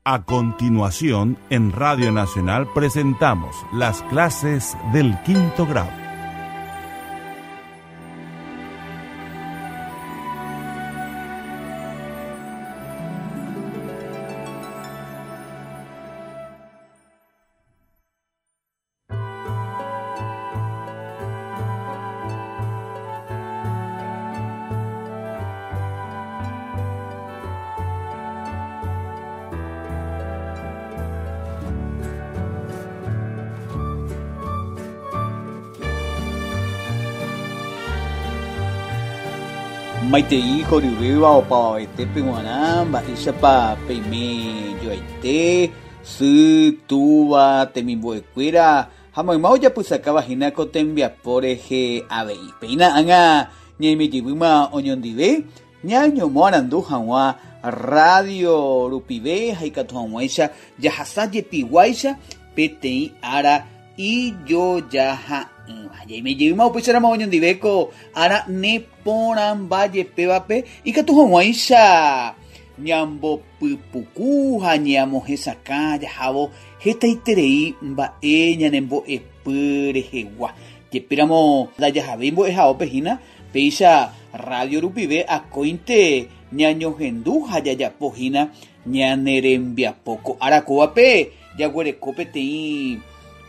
A continuación, en Radio Nacional presentamos las clases del quinto grado. Maitei horyvéva opavavetépe g̃uarã mba'éichapa peime joaite, sy, túva, temimbo'ekuéra ha mayma ojapysakáva hína ko tembiapo rehe avei. Péina ág̃a ñaimejevýma oñondive ñañomoarandu hag̃ua rrádio rupive ha ikatu hag̃uáicha jahasa jepiguáicha peteĩ ára ijojaha'ỹva. Ñaimejeýma upéicharamo oñondive ko ára neporãmba jepévape ikatu hag̃uáicha ñambopypuku ha ñamohesakã jahávo hetaiterei mba'e ñanembo'epy rehegua. Jepéramo ndajahavéi mbo'ehaópe hína, péicha rrádio rupive akóinte ñañohendu ha jajapo hína ñane rembiapo. Ko ára kóvape jaguereko peteĩ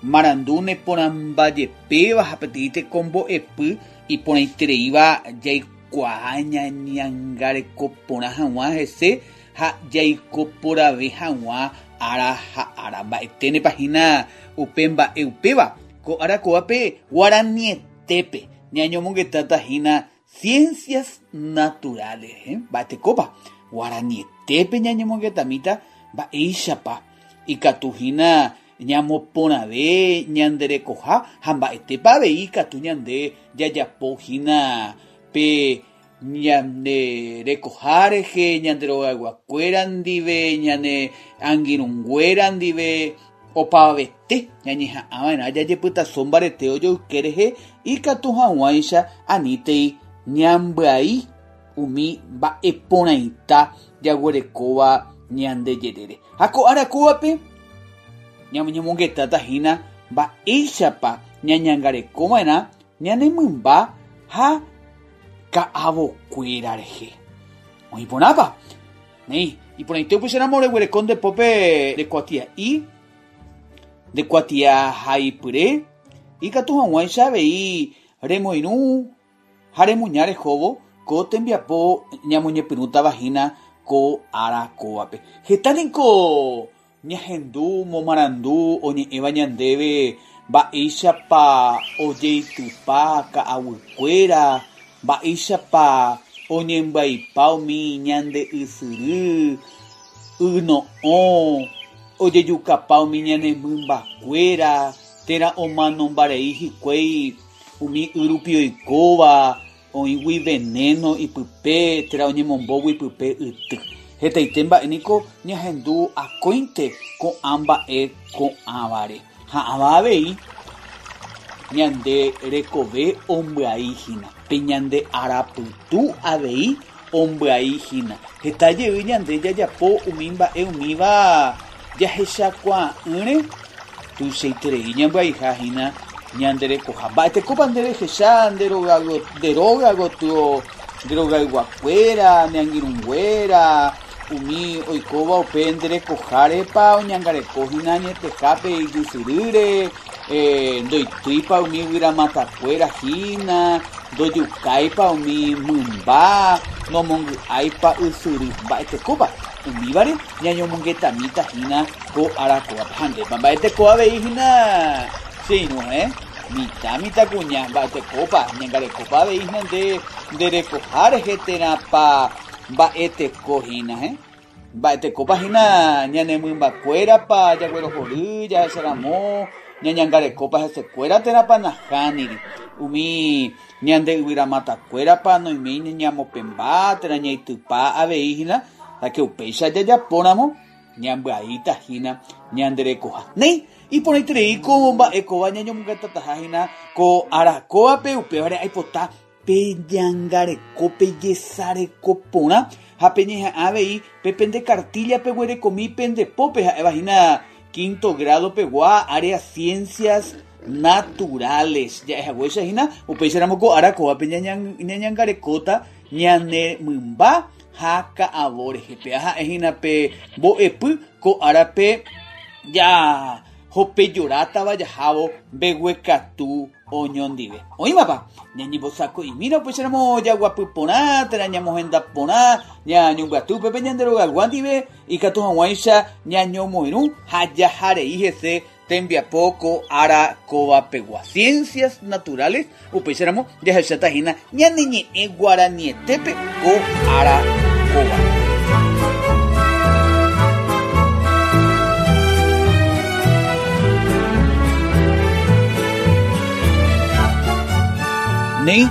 marandu neporãmba jepéva ha peteĩ tekombo'epy iporãitereíva jaikuaa ñañangareko porã hag̃ua hese ha jaiko porãve hag̃ua ára ha ára. Mba'eténepa hína upe mba'e upéva? Ko ára kóvape guaranietépe ñañomongetáta hína ciencias naturales rehe. Mba'etekópa? Guaranietépe ñañomongetamíta mba'éichapa ikatu hína ñamoporãve ñande rekoha ha mba'etépa avei ikatu ñande jajapo hína pe ñande rekoha rehe, ñande rogayguakuéra ndive, ñane angirũnguéra ndive, opavavete ñañeha'ãva'erã jajepytaso mbarete ojoyke rehe ikatu hag̃uáicha anítei ñambyai umi mba'e porãita jaguerekóva ñande jerére. Ha ko ára kóvape ñañomongetáta hína mba'éichapa ñañangarekova'erã ñane mymba ha ka'avokuéra rehe. Oĩ porãpa? Néi, iporãite upéicharamo reguereko nde pópe nde kuatia'i, nde kuatiahaipyre, ikatu hag̃uáicha avei remoirũ ha remuña rehóvo ko tembiapo ñamoñepyrũtava hína ko ára kóvape. Heta niko ñahendu momarandu oñe'ẽva ñandéve mba'éichapa ojeitypa ka'aguykuéra, mba'éichapa oñembyaipa umi ñande ysyry, yno'õ, ojejukapa umi ñane mymbakuéra térã omanombarei hikuái umi y rupi oikóva oĩgui veneno ipype térã oñemombógui pype yty. Hetaite mba'e niko ñahendu akóinte ko'ã mba'e ko'ãvare. Ha ãva avei ñande rekove ombyai hína, pe ñande arapytu avei ombyai hína. Heta jey ñande jajapo umi mba'e umíva jahechakuaa'ỹre tuichaiterei ñambyaiha hína ñande rekoha. Mba'etekópa nde rehecha nde róga gotyo nde rogayguakuéra, ne angirũnguéra, umi oikóva upe nde rekohárepa oñangareko hína añetehápe ijysyrýre, ndoitýipa umi yvyramatakuéra hína, ndojukáipa umi mymba, nomongy'áipa ysyry. Mba'etekópa umívare ñañomongetamíta hína ko ára kóvape? Ha ndépa mba'eteko avei hína che irũ, eh? Mitã, mitãkuña, mba'etekópa ñangarekópa avei hína nde nde rekoha rehe térãpa mba'eteko hína, eh? Mba'etekópa hína ñane mymbakuérapa jaguerohory jahecharamo ñañangarekópa hesekuéra térãpa nahániri? Umi ñande yvyramatakuérapa noiméi ñamopẽmba térã ñaitypa avei hína, ha ke upéicha jajapóramo ñambyaíta hína ñande rekoha. Néi, iporãiterei ko mba'e kóva ñañomongetataha hína ko ára kóvape, upévare aipota. Peñangareko, pejesareko porã ha peñeha'ã avei pe pende kartílla peguerekomi pende pópe ha'éva hína quinto grado pegua área ciencias naturales. Ja'ehaguéicha hína upéicharamo ko ára kóvape ñañangarekóta ñane mymba ha ka'avo rehe. Péva ha'e hína pe mbo'epy ko árape jahopejorátava jahávo mbeguekatu oñondive. Oĩmapa? Ñañembosako'imína upéicharamo jaguapy porã térã ñamohenda porã ñañombyaty upépe ñande rogaygua ndive ikatu hag̃uáicha ñañomoirũ ha jaharei hese tembiapo ko ára kóva pegua. Ciencias naturales, upéicharamo jahecháta hína ñane ñe'ẽ guaranietépe ko ára kóva. Néi,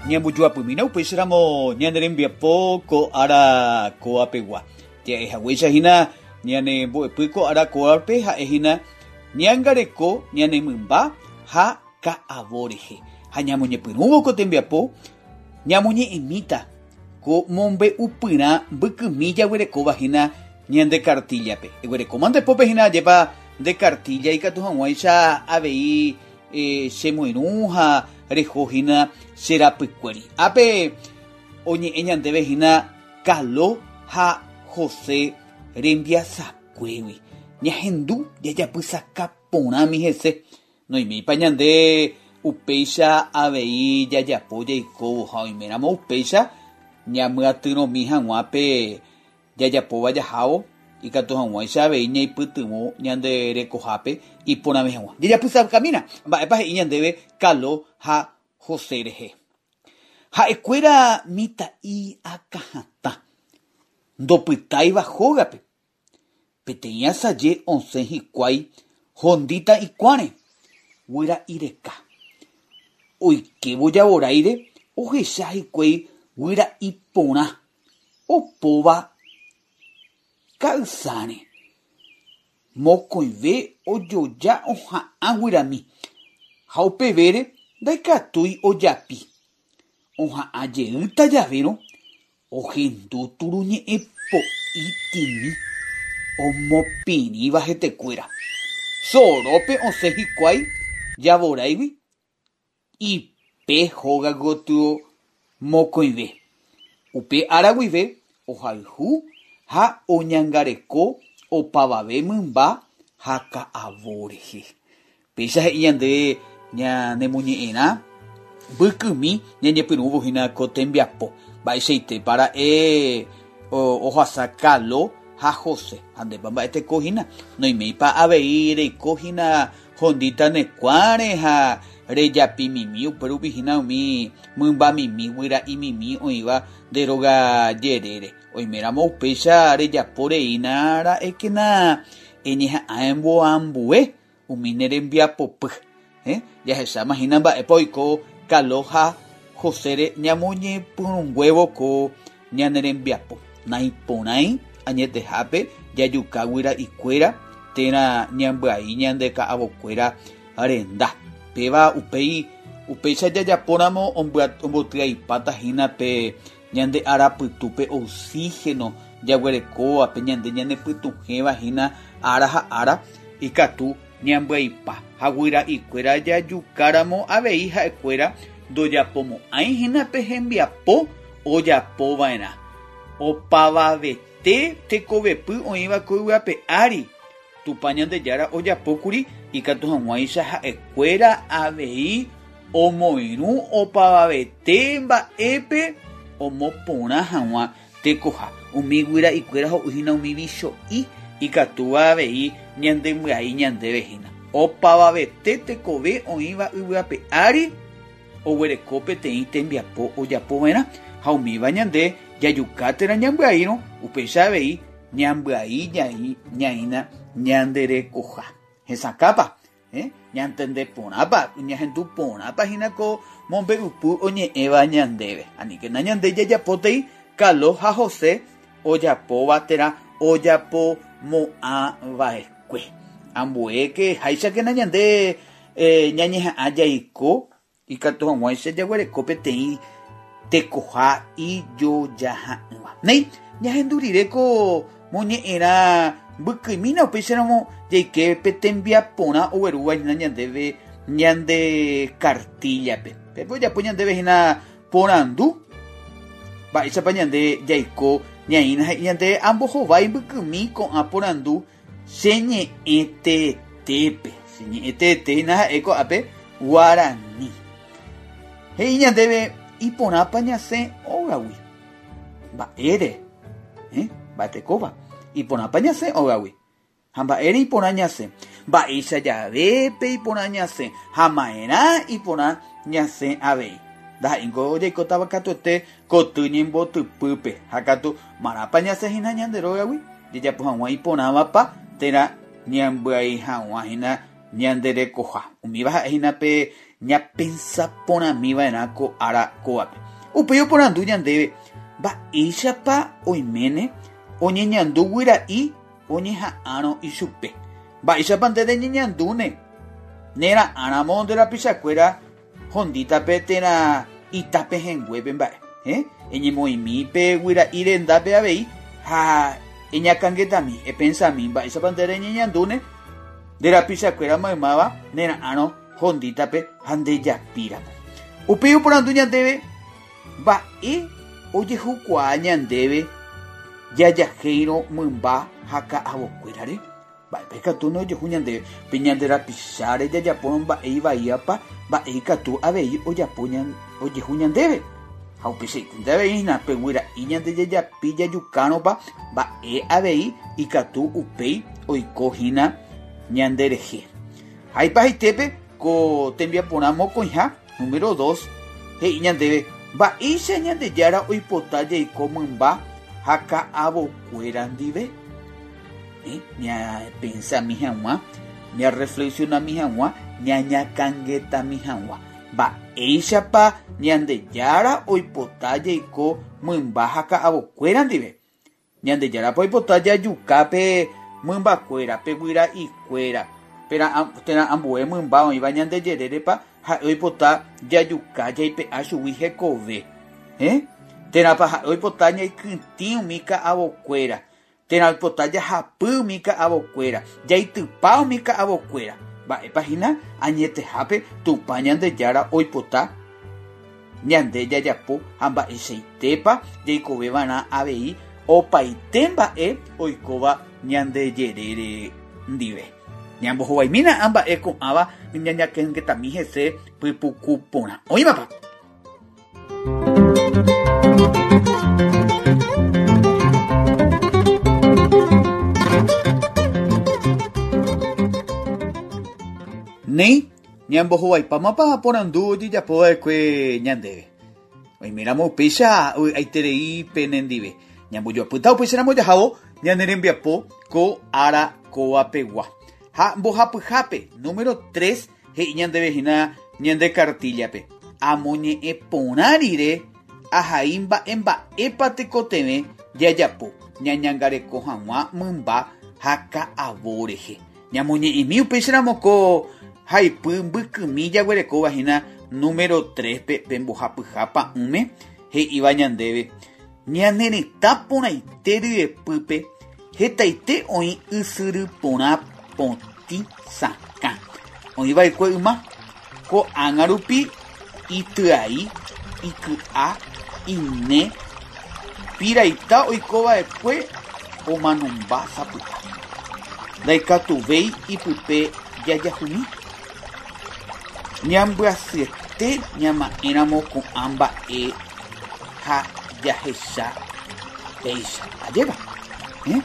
ñambojoapymína upéicharamo ñane rembiapo ko ára kóva pegua. Ja'e haguéicha hína ñane mbo'epy ko ára kóvape ha'e hína ñangareko ñane mymba ha ka'avo rehe. Ha ñamoñepyrũvo ko tembiapo ñamoñe'ẽmíta ko mombe'upyrã mbykymi jaguerekóva hína ñande kartíllape. Eguerekóma nde pópe hína ajépa nde kartílla ikatu hag̃uáicha avei chemoirũ ha reho hína che rapykuéri. Ápe oñe'ẽ ñandéve hína Kalo ha José rembiasakuégui. Ñahendu jajapysaka porãmi hese. Noiméipa ñande upéicha avei jajapo jaikóvo ha oiméramo upéicha ñamyatyrõmi hag̃ua pe jajapóva jahávo ikatu hag̃uáicha avei ñaipytyvõ ñande rekohápe iporãve hag̃ua. Jajapysakamína mba'épa he'i ñandéve Kalo ha José rehe. Ha'ekuéra mitã'i akãhatã, ndopytáiva hógape. Peteĩ asaje osẽ hikuái hondíta ikuãre, guyra'i reka. Oikévo javoráire ohecha hikuái guyra'i porã opóva ka'ysãre. Mokõive ojoja oha'ã guyrami, ha upevére ndaikatúi ojapi. Oha'ã jeýta javérõ ohendu turuñe'ẽ po'i tĩmi omopirĩva hetekuéra. Sorópe osẽ hikuái javoráigui Ipe hóga gotyo mokõive. Upe ára guive ohayhu ha oñangareko opavave mymba ha ka'avo rehe. Péicha he'i ñande ñanemoñe'ẽrã mbykymi ñañepyrũvo hína ko tembiapo. Mba'eichaitépa ra'e ohasa Kalo ha José? Ha ndépa mba'eteko hína? Noiméipa avei reiko hína Hondíta ne kuãre ha rejapi mimi upérupi hína umi mymba mimi guyra'i mimi oĩva nde róga jerére. Oiméramo upéicha rejapo reína ra'ékena eñeha'ã emboambue umi ne rembiapopy. Jahecháma hína mba'épa oiko Kalo ha Josére ñamoñepyrũnguévo ko ñane rembiapo. Naiporãi añetehápe jajuka guyra'ikuéra térã ñambyai ñande ka'avokuéra renda. Péva upéi upéicha jajapóramo ombotyaipáta hína pe ñande arapytu pe oxígeno jaguerekóva pe ñande ñanepytuhẽva hína ára ha ára ikatu ñambyaipa. Ha guyra'ikuéra jajukáramo avei ha'ekuéra ndojapomo'ãi hína pe hembiapo ojapova'erã. Opavavete tekovepy oĩva ko yvy ape ári, Tupã Ñandejára ojapókuri ikatu hag̃uáicha ha'ekuéra avei omoirũ opavavete mba'épe omoporã hag̃ua tekoha. Umi guyra'ikuéra ho'u hína umi vicho'i ikatúva avei ñandembyai ñandéve hína. Opavavete tekove oĩva yvy ape ári oguereko peteĩ tembiapo ojapova'erã, ha umíva ñande jajuka térã ñambyaírõ, upéicha avei ñambyai ñaína ñande rekoha. Hesakãpa? Ñantende porãpa? Ñahendu porãpa hína ko mombe'upy oñe'ẽva ñandéve? Aníkena ñande jajapótei Kalo ha José ojapóva térã ojapomo'ãva'ekue. Ambuéke háichakena ñande ñañeha'ã jaiko ikatu hag̃uáicha jaguereko peteĩ tekoha ijojaha'ỹva. Néi, ñahendu rire ko moñe'ẽrã mbykymína upéicharamo jaike pe tembiaporã oguerúva hína ñandéve ñande kartíllape. Pépe ojapo ñandéve hína porandu mba'éichapa ñande jaiko ñaĩna he'i ñande ambohovái mbykymi ko'ã porandu che ñe'ẽ teetépe. Che ñe'ẽ teete hína ha'e ko'ápe guarani. He'i ñandéve iporãpa ñasẽ ógagui. Mba'ére? Eh? Mba'etekópa? Iporãpa ñasẽ ógagui. Ha mba'ére iporã ñasẽ? Mba'éicha javépe iporã ñasẽ ha ma'erã iporã ñasẽ avei. Ndaha'éingo jaikótava katuete koty ñembotypýpe, ha katu marãpa ñasẽ hína ñande rógagui jajapo hag̃ua iporãvapa térã ñambyai hag̃ua hína ñande rekoha. Umíva ha'e hína pe ñapensa porãmi va'erã ko ára kóvape. Upéi oporandu ñandéve, Mba'éichapa oiméne oñeñandu guyra'i oñeha'ãrõ ichupe. Mba'éichapa nde reñeñandúne nera'ãramo nde rapichakuéra hondítape térã ita pehẽnguépe mba'e? Héẽ, eñemoĩmi pe guyra'i rendápe avei ha eñakãngetami, epensami mba'éichapa nde reñeñandúne nde rapichakuéra maymáva nera'ãrõ hondítape ha ndejapíramo. Upéi oporandu ñandéve Mba'e ojehukuaa ñandéve jajahéirõ mymba ha ka'avokuérare? Mba'épa ikatúne ojehu ñandéve pe ñande rapicháre jajapórõ mba'e ivaíapa? Mba'e ikatu avei ojapo ojehu ñandéve? Ha upeichaite avei hína pe guyra'i ñande jajapi jajukárõpa mba'e avei ikatu upéi oiko hína ñanderehe. Ha ipahaitépe ko tembiaporã mokõiha, número dos, he'i ñandéve mba'éicha Ñandejára oipota jaiko mymba ha ka'avokuéra ndive. Ñapensami hag̃ua, ñarreflexionami hag̃ua, ñañakãngetami hag̃ua. Mba'éichapa Ñandejára oipota jaiko mymba ha ka'avokuéra ndive? Ñandejárapa oipota jajuka pe mymbakuéra, pe guyra'ikuéra, térã ambue mymba oĩva ñande jerérepa ha'e oipota jajuka jaipe'a chugui hekove? Héẽ? Térãpa ha'e oipota ñaikytĩ umi ka'avokuéra, térã oipota jahapy umi ka'avokuéra, jaitypa umi ka'avokuéra? Mba'épa hína añetehápe Tupã Ñandejára oipota? Ñande jajapo ha mba'eichaitépa jaikove va'erã avei opaite mba'e oikóva ñande jerére ndive. Ñambohovaimína ã mba'e ko'ãva ñañakengetami hese pypuku porã. Oĩmapa? Néi. Ñambohovaipámapa porandu ojejapo va'ekue ñandéve? Oiméramo upéicha vy'aiterei penendive. Ñambojoapýta upéicharamo jahávo ñane rembiapo ko ára kóva pegua. Ha mbohapyhápe, número tres, he'i ñandéve hína ñande kartíllape, Amoñe'ẽ porã rire ahai mba'e mba'épa tekotevẽ jajapo ñañangareko hag̃ua mymba ha ka'avo rehe. Ñamoñe'ẽmi upéicharamo ko haipy mbykymi jaguerekóva hína número tréspe pe mbohapyha pa'ũme he'íva ñandéve, Ñane retã porãite ryepýpe hetaite oĩ ysyry porã potĩ sakã. Oĩ va'ekue yma, ko'ág̃a rupi ityai, iky'a, ine, piraita oiko va'ekue omanomba sapy'a. Ndaikatuvéi ipype jajahumi. Ñambyasyete ñama'ẽramo ko'ã mba'e ha jahecha péicha. Ajépa? Héẽ?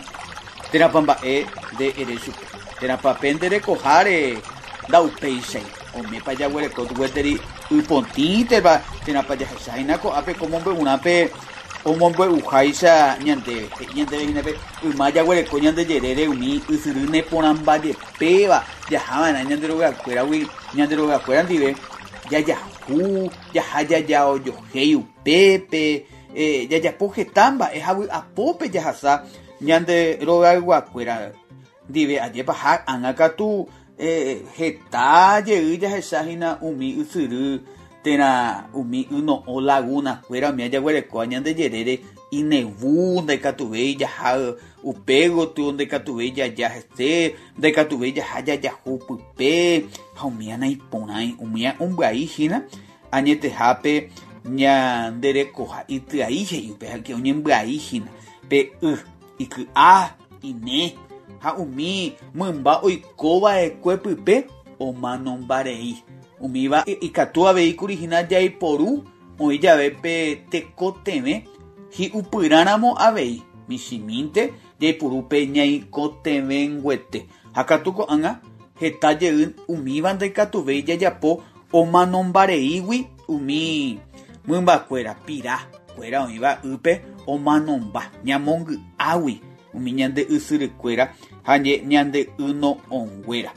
Térãpa mba'e nde ere chupe? Térãpa pe nde rekoháre ndaupéichai? Oimépa jaguereko gueteri y potĩteva térãpa jahecha hína ko'ápe ko mombe'urã pe omombe'uháicha ñandéve? He'i ñandéve hína pe yma jaguereko ñande jerére umi ysyry neporãmbajepéva jaha va'erã ñande rogakuéragui ñande rogakuéra ndive jajahu, jaha jajaojohéi upépe, jajapo heta mba'e ha vy'apópe jahasa ñande rogayguakuéra ndive ajépa ha ág̃a katu heta jey jahecha hína umi ysyry. térã umi yno'õ laguna-kuéra umi ajaguerekóva ñande jerére inevu, ndaikatuvéi jaha upe gotyo, ndaikatuvéi jaja hese, ndaikatuvéi jaha jajahu pype, ha umíva naiporãi, umíva ombyai hína añetehápe ñande rekoha ityai he'i upe ha oñembyai hína pe y, iky'a, ine ha umi mymba oiko va'ekue pype omanombarei. Umíva ikatu avei kuri hína jaiporu oĩ jave pe tekotevẽ hi'upyrãramo avei, michĩmínte jaipuru pe ñaikotevẽnguete. Ha katu ko'ág̃a heta jey umíva ndaikatuvéi jajapo omanombareígui umi mymbakuéra, pira kuéra oĩva ýpe omanomba, ñamongy'águi umi ñande ysyrykuéra ha ñande yno'õnguéra.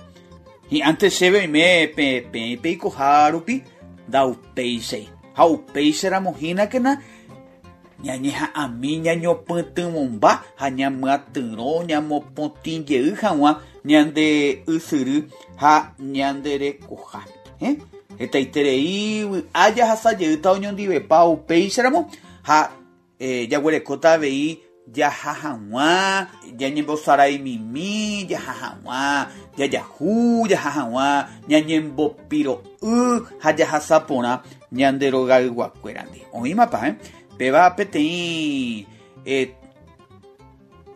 Hi'ãnte chéve oime peẽ peikoha rupi ndaupéichai. Ha upéicharamo hínakena ñañeha'ãmi ñañopytyvõmba ha ñamyatyrõ ñamopotĩ jey hag̃ua ñande ysyry ha ñande rekoha. Hetaiterei vy'a jahasa jeýta oñondivepa upéicharamo ha Jaguerekóta avei jaha hag̃ua ñañembosaraimimi, jaha hag̃ua jajahu, jaha hag̃ua ñañembopiro'y ha jahasa porã ñande rogayguakuérandi. Oĩmapa, eh? Péva peteĩ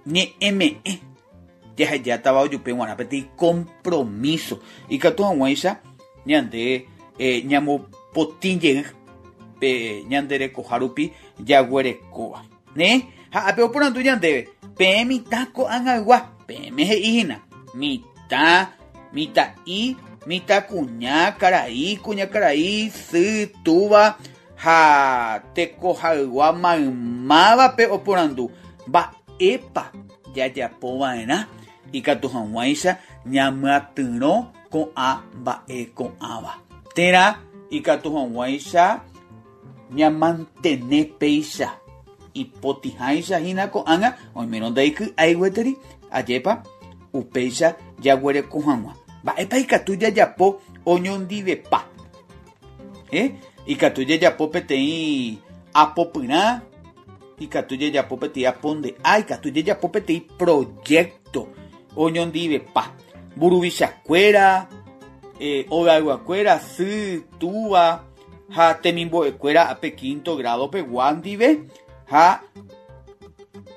ñe'ẽme'ẽ jahejátava ojupe g̃uarã peteĩ kompromíso ikatu hag̃uáicha ñande ñamopotĩ jey pe ñande rekoha rupi jaguerekóva. Ne, ha ápe oporandu ñandéve, peẽ mitã ko'ag̃aygua, peẽme he'i hína, mitã, mitã'i, mitãkuña, karai, kuñakarai, sy, túva ha tekohaygua maymávape oporandu, mba'épa jajapo va'erã ikatu hag̃uáicha ñamyatyrõ ko'ã mba'e ko'ãva, térã ikatu hag̃uáicha ñamantene péicha ipotĩháicha hína ko'ág̃a oimérõ ndaiky'ái gueteri, ajépa upéicha jaguereko hag̃ua. Mba'épa ikatu jajapo oñondivepa? Ikatu jajapo peteĩ apopyrã, ikatu jajapo peteĩ aponde'a, ikatu jajapo peteĩ proyecto oñondivepa. Mburuvichakuéra, ogayguakuéra, sy, túva ha temimbo'ekuéra pe quinto grado pegua ndive ha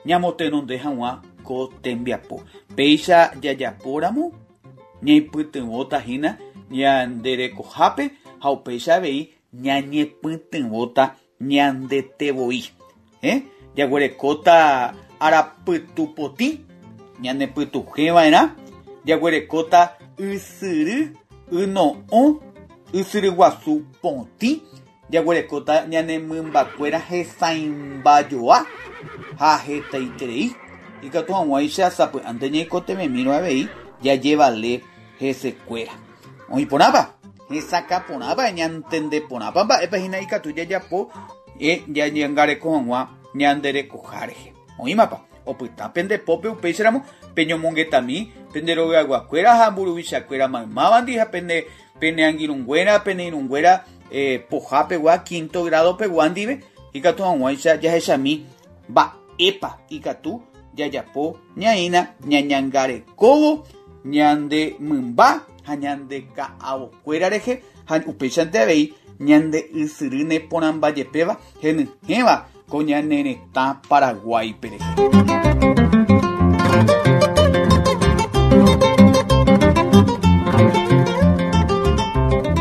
ñamotenonde hag̃ua ko tembiapo. Péicha jajapóramo ñaipytyvõta hína ñande rekohápe ha upéicha avei ñañepytyvõta ñandete voi. Jaguerekóta arapytu potĩ, ñanepytuhẽ va'erã, jaguerekóta ysyry yno'õ, ysyry guasu potĩ, jaguerekóta ñane mymbakuéra hesãimbajoa ha hetaiterei, ikatu hag̃uáicha sapy'ánte ñaikotevẽmírõ avei jajevale hesekuéra. Oĩ porãpa? Hesakã porãpa? Ñantende porãpa mba'épa hína ikatu jajapo ñañangareko hag̃ua ñande rekoha rehe? Oĩmapa? Opyta pende pópe upéicharamo peñomongetami pende rogayguakuéra ha mburuvichakuéra maymávandi ha pene pene angirũnguéra, pene irũnguéra poha pegua, quinto grado pegua ndive, ikatu hag̃uáicha jahechami mba'épa ikatu jajapo ñaína ñañangarekóvo ñande mymba ha ñande ka'avokuéra rehe ha upéichante avei ñande ysyry neporãmba jepéva henyhẽva ko ñane retã Paraguáipe rehe.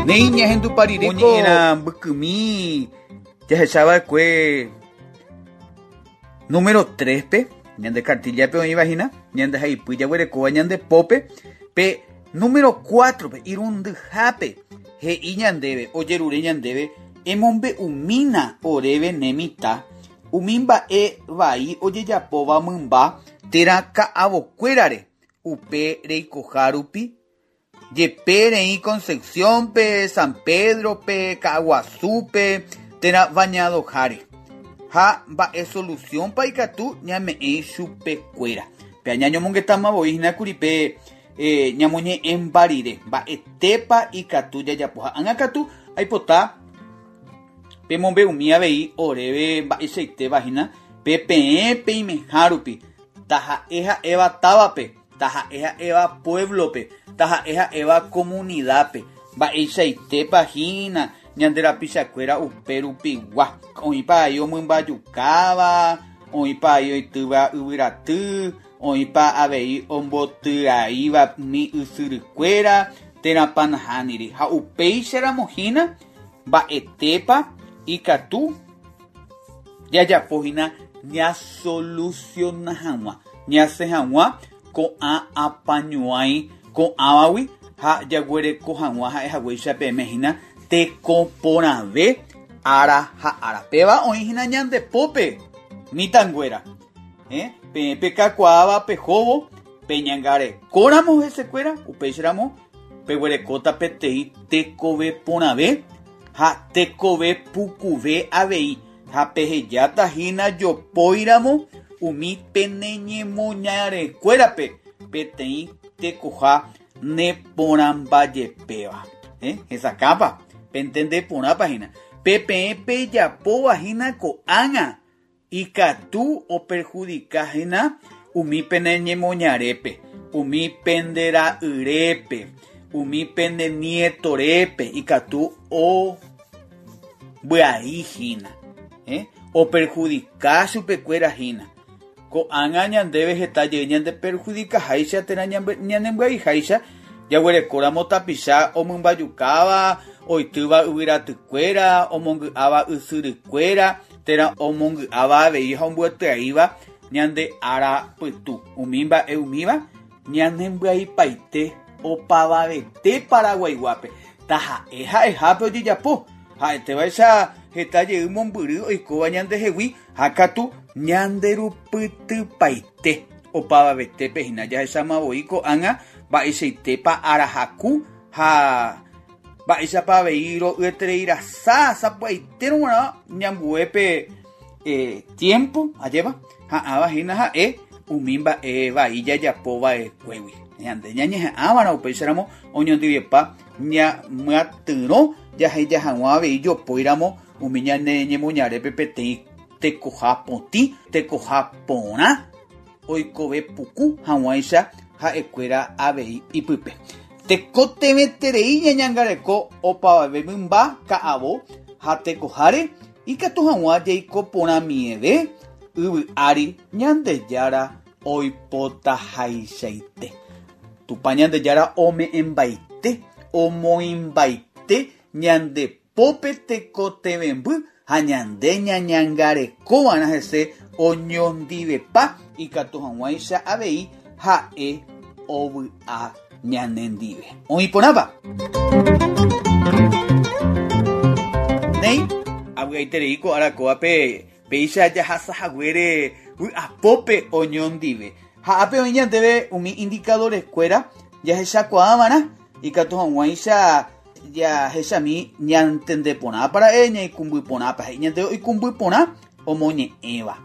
Néi ñahendupa rire ko ñe'ẽrã mbykymi jahechava'ekue Número 3-pe, ñande kartíllape oĩva hína, ñande haipy jaguerekóva ñande pópe, pe número 4-pe, irundyhápe, he'i ñandéve, ojerure ñandéve, emombe'umína oréve ne mitã, umi mba'e vai ojejapóva mymba térã ka'avokuérare upe reikoha rupi, jepe reĩ Concepción-pe, San Pedro-pe, Ka'aguasúpe térã Bañadoháre. Ha mba'e solusiónpa ikatu ñame'ẽ chupekuéra. Pe añañomongetáma voi hína kuri pe ñamoñe'ẽmba rire, mba'etépa ikatu jajapo. Ha ág̃a katu aipota. Pemombe'umi avei oréve mba'eichaitéva hína pe peẽ peimeha rupi, taha'e ha'éva távape, taha'e ha'éva pueblo-pe, taha'e ha'éva comunidad-pe, mba'eichaitépa hína ñande rapichakuéra upe rupigua. Oĩpa ai omymbajukáva, oĩpa ai oitýva yvyraty, oĩpa avei ombotyraíva umi ysyrykuéra térãpa nahániri. Ha upéicharamo hína Mba'etépa ikatu jajapo hína ñasolusiona hag̃ua, ñasẽ hag̃ua ko'ã apañuãi ko'ãvagui ha jaguereko hag̃ua ha'e haguéicha peẽme hína teko porãve ára ha ára. Péva oĩ hína ñande pópe, mitãnguéra. Eh, peẽ pekakuaáva pehóvo, peñangarekóramo hesekuéra, upéicharamo Peguerekóta peteĩ tekove porãve ha tekove pukuve avei, ha pehejáta hína jopóiramo umi pene ñemoñarekuérape peteĩ tekoha neporãmbajepéva. Eh, hesakãpa? Pentende porãpa hína? Pe peẽ pejapóva hína ko'ág̃a Ikatu operhudika hína umi pene ñemoñarépe, umi pende ra'yrépe, umi pende nietorépe, ikatu ombyai hína, operhudika chupekuéra hína. Ko'ág̃a ñandéve heta jey ñandeperhudikaháicha térã ñanembyaiháicha jaguerekóramo tapicha omymbajukáva, oitýva yvyratykuéra, omongy'áva ysyrykuéra, térã omongy'áva avei ha ombyatyaíva ñande ára pytu. Umi mba'e umíva ñanembyaipaite opavavete Paraguaiguápe, taha'e ha'ehápe ojejapo, ha'etévaicha heta jey mombyry oikóva ñandehegui ha katu ñanderupytypaite opavavetépe hína. Jahecháma voi ko'ág̃a mba'eichaitépa ára haku ha Mba'éichapa avei ro'yeterei rasa sapy'aitérõ g̃uarã ñambue pe tiémpo ajépa ha'ãva hína ha'e umi mba'e vai jajapo va'ekuégui. Ñande ñañeha'ãva'erã upéicharamo oñondivepa ñamyatyrõ jaheja hag̃ua avei jopóiramo umi ñane ñemoñarépe peteĩ tekoha potĩ, tekoha porã oikove puku hag̃uáicha ha'ekuéra avei ipype. Tekotevẽterei ñañangareko opavave mymba ka'avo ha tekoháre ikatu hag̃ua jaiko porãmieve yvy ári Ñandejára oipotahaichaite. Tupã Ñandejára ome'ẽmbaite, omoĩmbaite ñande pópe tekotevẽmby ha ñande ñañangarekova'erã hese oñondivepa ikatu hag̃uáicha avei ha'e ovy'a ñanendive. Oĩ porãpa? Néi, avy'aiterei ko ára kóvape péicha jahasa haguére vy'apópe oñondive. Ha ápe oĩ ñandéve umi indicadores-kuéra jahechakuaava'erã ikatu hag̃uáicha Jahechami ñantende porãpa ra'e, ñaikũmby porãpa, he'i ñande oikũmby porã omoñe'ẽva.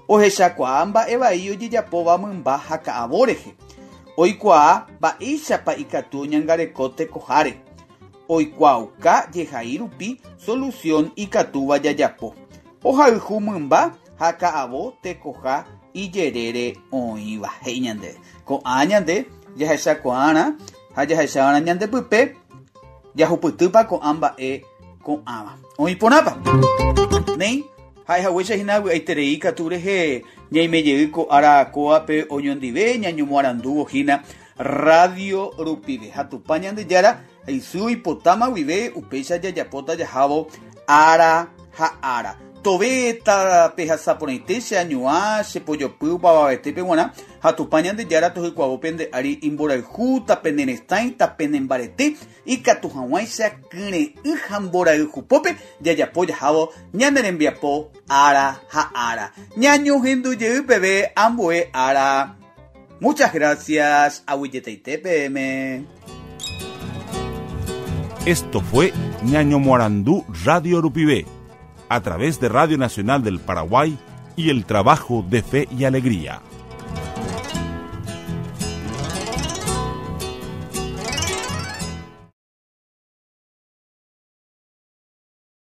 Ohechakuaa mba'e vai ojejapóva mymba ha ka'avo rehe. Oikuaa mba'éichapa ikatu oñangareko tekoháre. Oikuaauka jehai rupi solución ikatúva jajapo. Ohayhu mymba ha ka'avo tekoha ijerére oĩva, he'i ñandéve. Ko'ã ñande jahechakuaarã ha jahechava'erã ñande pype jahupytýpa ko'ã mba'e ko'ãva. Oĩ porãpa? Néi, ha'e haguéicha hína vy'aiterei katu rehe ñaime jey ko ára kóvape oñondive ñañomoarandúvo hína radio rupive. Ha Tupã Ñandejára Isy oipotáma guive upéicha jajapóta jahávo ára ha ára. Tove tapehasa porãite che añuã, che pojopy opavavetépe g̃uarã, ha Tupã Ñandejára tohykuavo pende ári imborayhu, tapeneresãi, tapenembarete, ikatu hag̃uáicha kyre'ỹ ha mborayhupópe jajapo jahávo ñane rembiapo ára ha ára. Ñañohendu jey peve ambue ára. Muchas gracias, aguyjetaite peẽme. Esto fue Ñañomoarandu Radio Rupive, a través de Radio Nacional del Paraguay y el trabajo de Fe y Alegría.